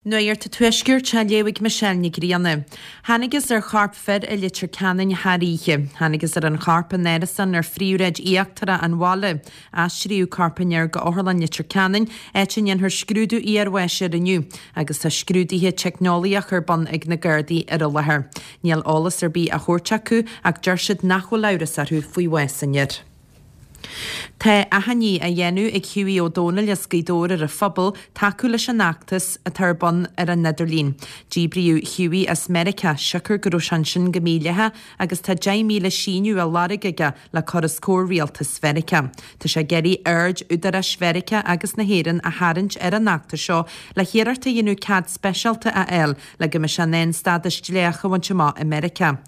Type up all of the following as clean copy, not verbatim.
Nuacht an Tuaiscirt á léamh ag Michelle Nic Grianna. Thángthas ar chorp fir i Leitir Ceanainn thar oíche. Thángthas ar an chorp in árasán ar phríomhshráid íochtarach an bhaile. Aistríodh corp an fhir go Otharlann Leitir Ceanainn, áit a ndéanfar scrúdú iarbháis air inniu, agus tá scrúduithe teicneolaíoch ar bun ag na Gardaí ar an láthair. Níl eolas ar bith á thabhairt acu ach deir siad nach bhfuil amhras orthu faoi bhás an fhir. Tá achainí á dhéanamh ag Hughie Ó Dónaill as Gaoth Dobhair ar an phobal tacú leis an fheachtas atá ar bun ar an idirlíon. Díbríodh Hughie as Meiriceá siocair go raibh sé ansin go mídhleathach agus tá 10,000 síniú á lorg aige le cur os comhair rialtas Mheiriceá. Tá sé ag iarraidh aird údaráis Mheiriceá agus na hÉireann a tharraingt ar an fheachtas seo le hiarracht a dhéanamh cead speisialta a fháil le go mbeidh sé in ann stádas dleathach a bhaint amach i Meiriceá.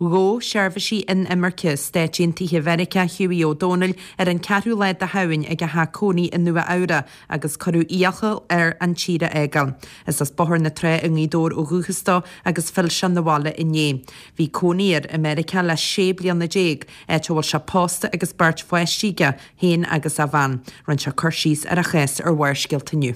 Ghabh seirbhísí inimirce Stáit Aontaithe Mheiriceá Hughie Ó Dónaill ar an ceathrú lá de Shamhain ag a theach cónaí i Nua Eabhra agus cuireadh iachall air an tír a fhágáil. Is as Bóthar na Trá i nGaoth Dobhair ó dhúchas dó agus phill sé 'na bhaile inné. Bhí cónaí air i Meiriceá le 16 bliana, áit a bhfuil sé pósta agus beirt pháistí aige féin agus a bhean. Rinne sé cur síos ar a chás ar Bharrscéalta inniu.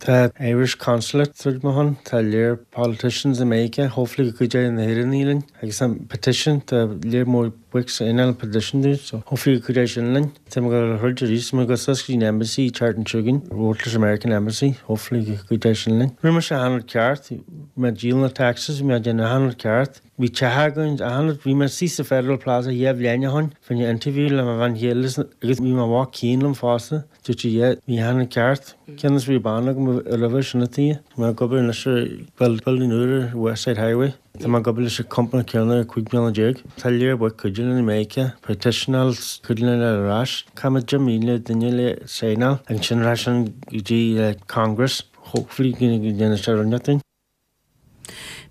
Tá Irish Consulate through mo shon, tá lear politicians i Meiriceá, hopefully go gcuideoidh na hÉireannaigh linn agus tá petition, tá lear mór boics ag an petition dúinn so hopefully go gcuideoidh sin linn. Tá mé ag dul a throid arís, tá mé ag dul suas go dtí an Embassy an tseachtain seo chugainn, labhairt leis an American Embassy, hopefully go gcuideoidh sin linn. Rinne mise achan rud ceart, bhí mé ag díol na taxes, bhí mé ag déanamh achan rud ceart. Bhí teach againn, achan rud, bhí mé suí sa Federal Plaza dhá bhliain ó shin, fá choinne interview le mo bhean chéile agus bhí mo mhac Cian liom fosta. Dúirt sí, yeah, bhí achan rud ceart. Cionn is bhí bean agam roimhe sin a tí. Tá mé ag obair anois ar building úr ar West Side Highway. Tá mé ag obair leis an company céanna ar 15 bliana. Tá lear boic cuidiú linn i Meiriceá, petitionáil cuidiú linn ar ais. Caithfidh 10,000 duine le signáil ansin ar ais go dtí Congress. Hopefully go ndéanfaidh sé rud inteacht dúinn.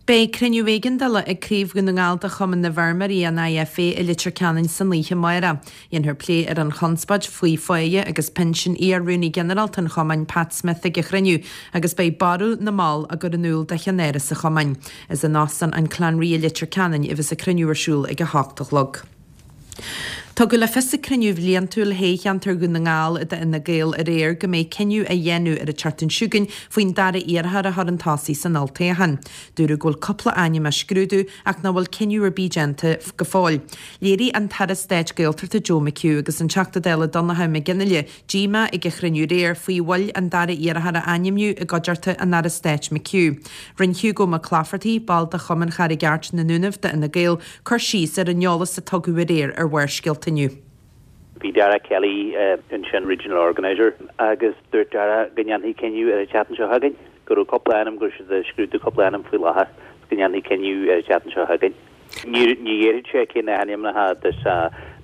Beidh cruinniú éigeandála ag Craobh Dhún na nGall de Chumann na bhFeirmeoirí, an IFA, i Leitir Ceanainn san oíche amárach. Dhéanfar plé ar an chonspóid faoi pháighe agus pinsean iar-Rúnaí Ginearálta an Chumainn, Pat Smith ag an chruinniú agus beidh barúil na mball á gcur in iúl do cheannáras an chumainn. Is in Óstán an Clanree i Leitir Ceanainn a bheas an cruinniú ar siúl ag 8 a chlog. Tugadh le fios ag cruinniú bhliantúil thoghcheantar Dhún na nGall d'Fhine Gael aréir go mbeidh cinneadh á dhéanamh ar an tseachtain seo chugainn faoin dara iarrthóir a chur chun tosaigh san olltoghchán. Dúradh go bhfuil cúpla ainm á scrúdú ach nach bhfuil cinneadh ar bith déanta go fóill. Léirigh an tAire Stáit Gaeltachta Joe McHugh agus an Teachta Dála Donnchadh Mac Fhionnghaile díomá ag an chruinniú aréir faoi mhoill an dara iarrthóir a ainmniú i gcuideachta an Aire Stáit McHugh. Rinne Hugo McClafferty, ball de Chumann Charraig Airt na nDúnaibh d'Fhine Gael, cur síos ar an eolas a tugadh aréir ar Bharrscéalta inniu. Bhí Dara Kelly ansin, Regional Organiser, agus dúirt Dara go ndéanfaí cinneadh ar an tseachtain seo chugainn, go raibh cúpla ainm, go raibh siad ag scrúdú cúpla ainm faoi láthair, go ndéanfaí cinneadh ar an tseachtain seo chugainn. Ní déarfadh sé cé na hainmneacha agus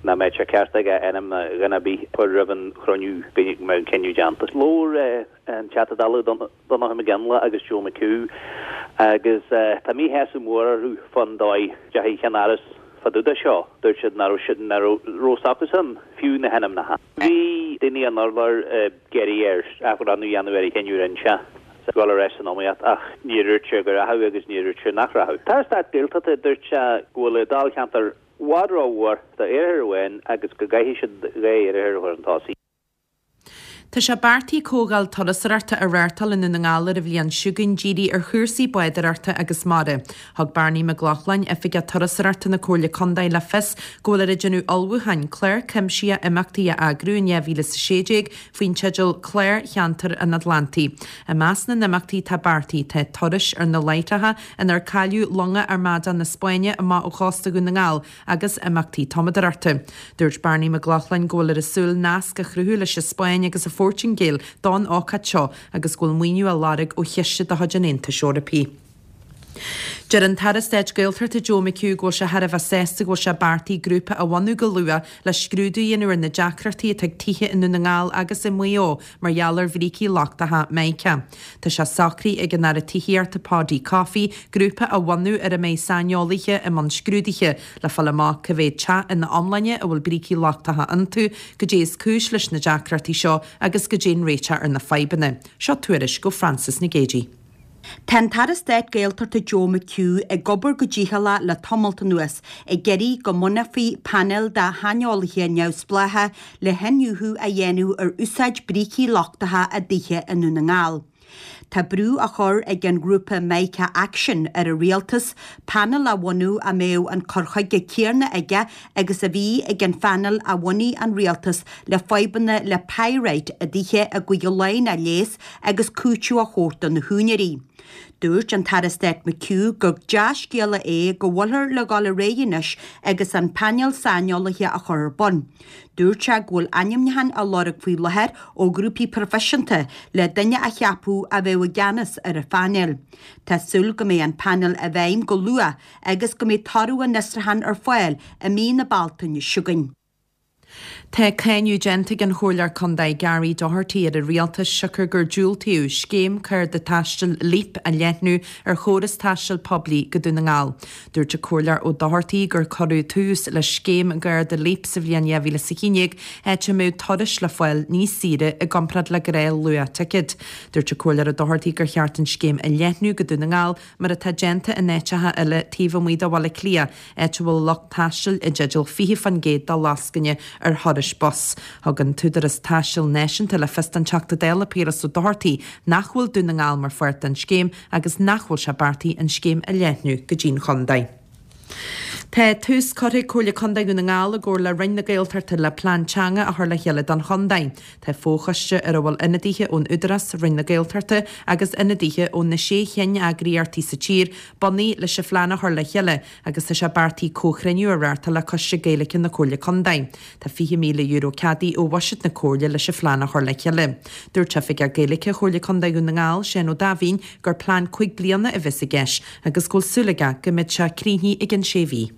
nach mbeadh sé ceart aige ainm dhuine ar bith a chur roimh an chruinniú go mbeadh an cinneadh déanta. Labhair an Teachta Dála Donnchadh Mac Fhionnghaile agus Joe McHugh agus tá míshásamh mór orthu fán dóigh a ndeachaigh ceannáras fá dtaobh de seo. Dúirt siad nach raibh nach raibh a fhios acusan fiú na hainmneacha. Bhí daoine an urláir ag iarraidh air athbhreithniú a dhéanamh ar an chinneadh a rinne sé dul ar ais san iomaíocht ach níor dhúirt sé go rachadh agus níor dhúirt sé nach rachadh. An tAire Stáit Gaeltachta, dúirt sé go bhfuil an dáilcheantar i bhfad rómhór d'iarrthóir amháin agus go gcaithfidh siad dhá iarrthóir a chur chun tosaigh. Tá sé beartaithe comhdháil turasóireachta a reáchtáil i nDún na nGall ar an bhliain seo chugainn dírithe ar chúrsaí bádóireachta agus mara. Thug Barney Mac Lochlainn, Oifigeach Turasóireachta na Comhairle Contae le fios go bhfuiltear ag déanamh ullmhúcháin clár cuimsitheach imeachtaí a eagrú in 2016 faoin teideal 'Clár Cheantar an Atlantaigh'. I measc na n-imeachtaí atá beartaithe tá turais ar na láithreacha inar cailleadh longa Armada na Spáinne amach ó chósta Dhún na nGall agus imeachtaí tumadóireachta. Dúirt Barney Mac Lochlainn go bhfuiltear ag súil nasc a chruthú leis an Spáinn agus an Phortaingéil don ócáid seo agus go bhfuil maoiniú á lorg ó chiste de chuid an Aontais Eorpaigh. Deir an tAire Stáit Gaeltachta Joe McHugh go bhfuil sé thar a bheith sásta go bhfuil sé beartaithe grúpa a bhunú go luath le scrúdú a dhéanamh ar na deacrachtaí atá ag tithe i Ndún na nGall agus i Maigh Eo mar gheall ar bhrící lochtacha Mica. Tá sé socraithe ag an Aire Tithíochta Paudie Coffey grúpa a bhunú ar a mbeidh saineolaithe i mbun scrúdaithe le fáil amach cá mhéad teach ina iomláine a bhfuil brící lochtacha iontu, goidé is cúis leis na deacrachtaí seo agus goidé an réiteach ar na fadhbanna. Seo tuairisc ó Frances Nic Géadaigh. Tá an tAire Stáit Gaeltachta Joe McHugh ag obair go dícheallach le tamalt anuas ag iarraidh go mbunófaí painéal de shaineolaithe neamhspleácha le hiniúchadh a dhéanamh ar úsáid brící lochtacha i dtithe i nDún na nGall. Tá brú á chur ag an ghrúpa Mica Action ar an rialtas painéal a bhunú a mbeadh an cur chuige céanna aige agus a bhí ag an phainéal a bhunaigh an rialtas le fadhbanna le pyrite i dtithe i gCúige Laighean a leigheas agus cúiteamh a thabhairt do na húinéirí. Dúirt an tAire Stáit McHugh gur dea-scéala é go bhfuilthear le dhul ar aghaidh anois agus an painéal saineolaithe a chur ar bun. Dúirt sé go bhfuil ainmniúcháin á lorg faoi láthair ó ghrúpaí proifisiúnta le duine a cheapadh a bheadh i gceannas ar an phainéal. Tá súil go mbeidh an painéal i bhfeidhm go luath agus go mbeidh toradh an fhiosrúcháin ar fáil i mí na Bealtaine seo chugainn. Tá cáineadh déanta ag an Chomhairleoir Contae Gary Doherty ar an Rialtas siocair gur diúltaíodh scéim cárta taistil Leap a leathnú ar chóras taistil poiblí go Dún na nGall. Dúirt an Comhairleoir Ó Dochartaigh gur cuireadh tús le scéim gcárta Leap sa bhliain 2011 áit a mbeadh turais le fáil níos saoire i gcomparáid le gnáth-luach ticéid. Dúirt an Comhairleoir Ó Dochartaigh gur cheart an scéim a leathnú go Dún na nGall mar atá déanta in áiteacha eile taobh amuigh de Bhaile Átha Cliath, áit a bhfuil lucht taistil i dteideal 20% de lascaine ar thurais bus. Thug an tÚdarás Taistil Náisiúnta le fios don Teachta Dála Piaras Ó Dochartaigh nach bhfuil Dún na nGall mar pháirt den scéim agus nach bhfuil sé beartaithe an scéim a leathnú go dtí'n chontae. Tá tús curtha ag Comhairle Contae Dhún na nGall i gcomhar le Roinn na Gaeltachta le plean teanga a chur le chéile don chontae. Tá fochoiste ar a bhfuil ionadaithe ón Údarás, Roinn na Gaeltachta agus ionadaithe ó na sé cheanneagraíochtaí sa tír bunaithe leis an phlean a chur le chéile agus tá sé beartaithe comhchruinniú a reáchtáil le Coiste Gaeilge na Comhairle Contae. Tá €20,000 ceadaithe ó bhuiséad na Comhairle leis an phlean a chur le chéile. Dúirt Oifigeach Gaeilge Chomhairle Contae Dhún na nGall, Seán Ó Daimhín, gur plean 5 bliana a bheas i gceist agus go bhfuil súil aige go mbeidh sé críochnaithe i gcionn sé mhí.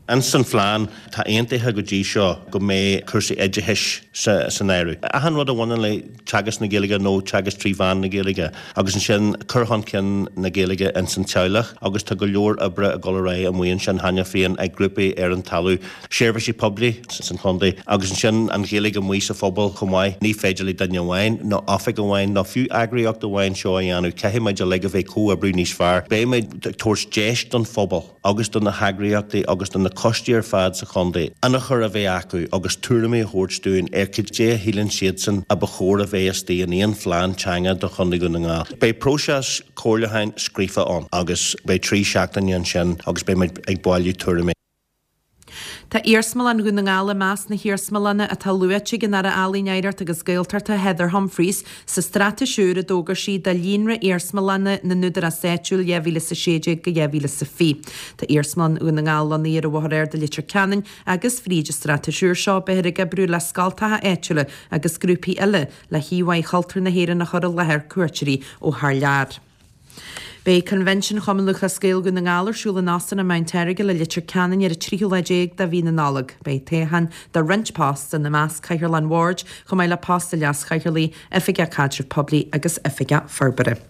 Ins an phlean, tá aontaithe go dtí seo go mbeidh cúrsaí oideachais san áireamh. Achan rud a bhaineann le teagasc na Gaeilge nó teagasc trí mheán na Gaeilge agus ansin cur chun cinn na Gaeilge ins an teaghlach agus tá go leor oibre ag dul ar aghaidh amuigh ansin cheana féin ag grúpaí ar an talamh, seirbhísí poiblí san chontae agus ansin an Ghaeilge amuigh sa phobal chomh maith. Ní féidir le duine amháin nó oifig amháin nó fiú eagraíocht amháin seo a dhéanamh, caithfidh muid uilig a bheith ag comhoibriú níos fearr. Beidh muid ag tabhairt deis don phobal. agus do na heagraíochtaí agus do na coistí ar fad sa chontae ionchur a bheith acu agus tuairimí a thabhairt dúinn ar cad é a shíleann siadsan a ba chóir a bheith istigh in aon phlean teanga do Chontae Dhún na nGall. Beidh próiseas comhairliúcháin scríofa ann agus beidh 3 seachtaine ansin agus beidh muid ag bailiú tuairimí. Tá Iarsmalann Dhún na nGall i measc na hiarsmalanna atá luaite ag an Aire Ealaíon, Oidhreachta agus Gaeltachta Heather Humphreys sa straitéis úr a d'fhógair sí do Líonra Iarsmalanna na nÚdarás Áitiúil 2016-2020. Tá Iarsmalann Dhún na nGall lonnaithe ar an Bhóthar Ard i Leitir Ceanainn agus fríd an straitéis úr seo beifear ag oibriú le scoltacha áitiúla agus grúpaí eile le híomhá chultúr na hÉireann a chur i láthair cuairteoirí ó thar lear. Beidh Convention Chumann Lúthchleas Gael Dhún na nGall ar siúl in Óstán an Mount Errigal i Leitir Ceanainn ar an tríú lá déag de mhí na Nollag. Beidh toghcháin do roinnt post, ina measc Cathaoirleach an Bhoird, chomh maith le post do Leas-Chathaoirligh, Oifigeach Caidrimh Poiblí agus Oifigeach Forbartha.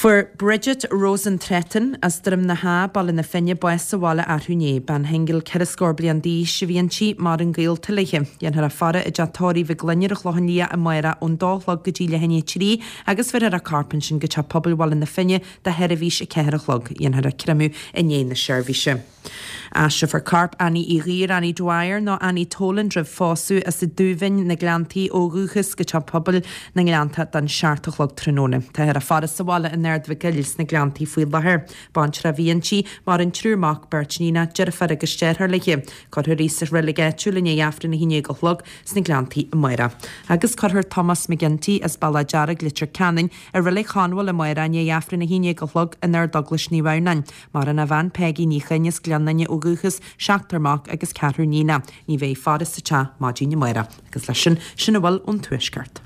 Fuair Bridget Rosen-Tretton as Droim na hÁ, Baile na Finne, bás sa bhaile arú inné. Bean shingil 4 scór bliain d'aois a bhí inti, maireann gaolta léi. Déanfar a faire i dteach tórraimh Mhic Gloinn ar an Chlochán Liath amárach ón dó a chlog go dtí leath i ndiaidh a 3 agus bheirfear a corp ansin go Teach Pobail Bhaile na Finne do sheirbhís a 4 a chlog. Dhéanfar a creimeadh i ndiaidh na seirbhíse. Aistreofar corp Annie Uí Ghuidhir, Annie Dwyer nó Annie Toland roimh phósadh as an Dúbhinn, na Gleanntaí ó dhúchas go Teach Pobail na nGleannta don 7 a chlog tráthnóna. Táthar á faire sa bhaile in Ard Mhic Goill sna Gleanntaí faoi láthair. Baintreach a bhí inti, maireann triúr mac, beirt níonach, deirfiúr agus deartháir léi. Cuirfear í sa reilig áitiúil i ndiaidh Aifreann 11 a chlog sna Gleanntaí amárach. Agus cuirfear Tomás McGinty as Bealach Dearg, Leitir Ceanainn, i Reilig Chonmhail amárach i ndiaidh Aifreann 11 a chlog in Ardeaglais Naomh Adhamhnáin. Maireann a bhean Peggy Ní Choinn as Gleann Fhinne ó dhúchas, seachtar mac agus ceathrar níonach. Ní bheidh faire sa teach maidin amárach. Agus leis sin, sin a bhfuil ón Tuaisceart.